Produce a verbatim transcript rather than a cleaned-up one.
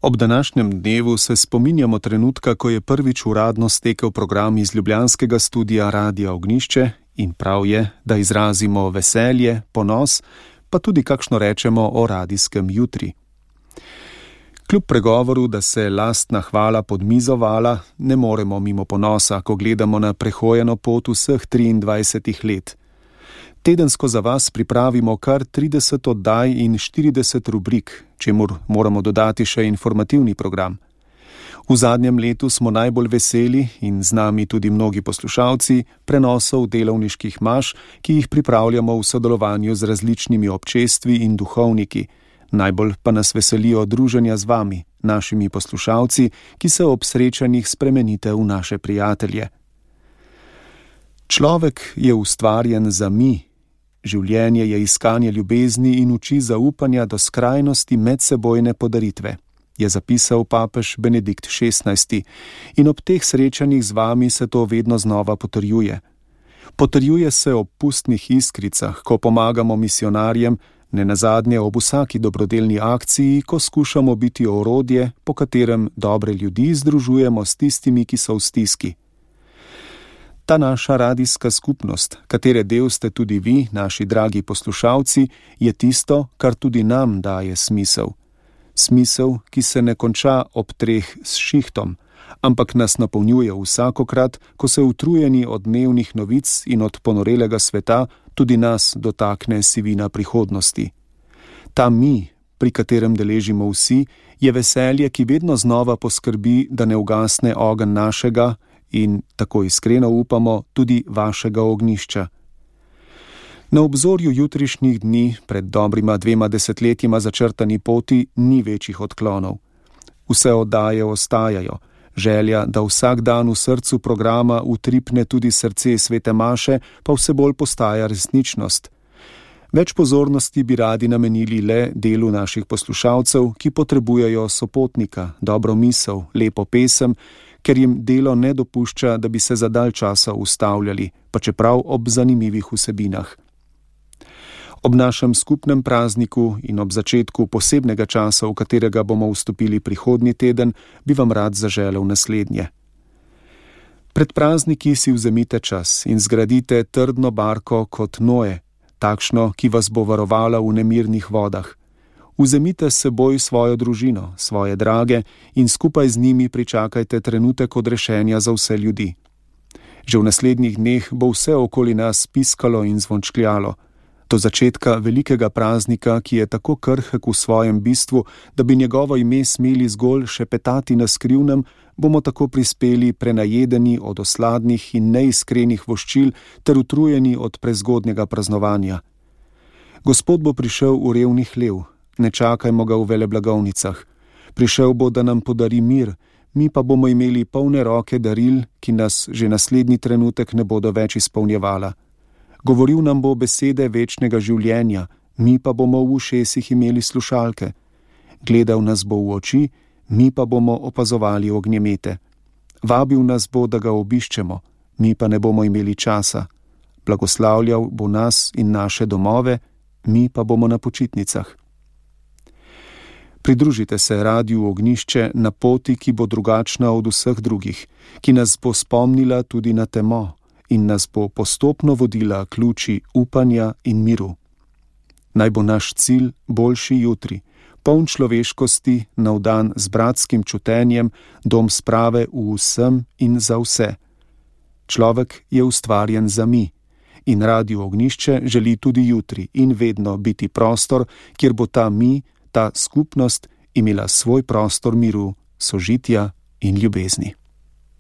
Ob današnjem dnevu se spominjamo trenutka, ko je prvič uradno stekel program iz ljubljanskega studia Radia Ognjišče in prav je, da izrazimo veselje, ponos, pa tudi kakšno rečemo o radijskem jutri. Kljub pregovoru, da se lastna hvala pod mizo vala, ne moremo mimo ponosa, ko gledamo na prehojeno pot vseh triindvajsetih let. Tedensko za vas pripravimo kar trideset oddaj in štirideset rubrik, čemur moramo dodati še informativni program. V zadnjem letu smo najbolj veseli in z nami tudi mnogi poslušalci prenosov delovniških maš, ki jih pripravljamo v sodelovanju z različnimi občestvi in duhovniki. Najbolj pa nas veselijo druženja z vami, našimi poslušalci, ki se ob srečanjih spremenite v naše prijatelje. Človek je ustvarjen za mi. Življenje je iskanje ljubezni in uči zaupanja do skrajnosti medsebojne podaritve, je zapisal papež Benedikt šestnajsti, in ob teh srečanjih z vami se to vedno znova potrjuje. Potrjuje se ob pustnih iskricah, ko pomagamo misionarjem, ne nazadnje ob vsaki dobrodelni akciji, ko skušamo biti orodje, po katerem dobre ljudi združujemo s tistimi, ki so v stiski. Ta naša radijska skupnost, katere del ste tudi vi, naši dragi poslušalci, je tisto, kar tudi nam daje smisel. Smisel, ki se ne konča ob treh s šihtom, ampak nas napolnjuje vsakokrat, ko se utrujeni od dnevnih novic in od ponorelega sveta tudi nas dotakne sivina prihodnosti. Ta mi, pri katerem deležimo vsi, je veselje, ki vedno znova poskrbi, da ne ugasne ogenj našega in, tako iskreno upamo, tudi vašega ognjišča. Na obzorju jutrišnjih dni, pred dobrima dvema desetletjima začrtani poti, ni večjih odklonov. Vse oddaje ostajajo, želja, da vsak dan v srcu programa utripne tudi srce svete maše, pa vse bolj postaja resničnost. Več pozornosti bi radi namenili le delu naših poslušalcev, ki potrebujejo sopotnika, dobro misel, lepo pesem, ker jim delo ne dopušča, da bi se za dalj časa ustavljali, pa čeprav ob zanimivih vsebinah. Ob našem skupnem prazniku in ob začetku posebnega časa, v katerega bomo vstopili prihodnji teden, bi vam rad zaželel naslednje. Pred prazniki si vzemite čas in zgradite trdno barko kot Noe, takšno, ki vas bo varovala v nemirnih vodah. Vzemite s seboj svojo družino, svoje drage in skupaj z njimi pričakajte trenutek odrešenja za vse ljudi. Že v naslednjih dneh bo vse okoli nas piskalo in zvončkljalo. Do začetka velikega praznika, ki je tako krhek v svojem bistvu, da bi njegovo ime smeli zgolj šepetati na skrivnem, bomo tako prispeli prenajedeni od osladnih in neiskrenih voščil ter utrujeni od prezgodnjega praznovanja. Gospod bo prišel v revni hlev, ne čakajmo ga v veleblagovnicah. Prišel bo, da nam podari mir, mi pa bomo imeli polne roke daril, ki nas že naslednji trenutek ne bodo več izpolnjevala. Govoril nam bo besede večnega življenja, mi pa bomo v ušesih imeli slušalke. Gledal nas bo v oči, mi pa bomo opazovali ognjemete. Vabil nas bo, da ga obiščemo, mi pa ne bomo imeli časa. Blagoslavljal bo nas in naše domove, mi pa bomo na počitnicah. Pridružite se Radiu Ognjišče na poti, ki bo drugačna od vseh drugih, ki nas bo spomnila tudi na temo in nas bo postopno vodila k luči upanja in miru. Naj bo naš cilj boljši jutri, poln človeškosti, navdan z bratskim čutenjem, dom sprave v vsem in za vse. Človek je ustvarjen za mi in Radio Ognjišče želi tudi jutri in vedno biti prostor, kjer bo ta mi, ta skupnost imela svoj prostor miru, sožitja in ljubezni.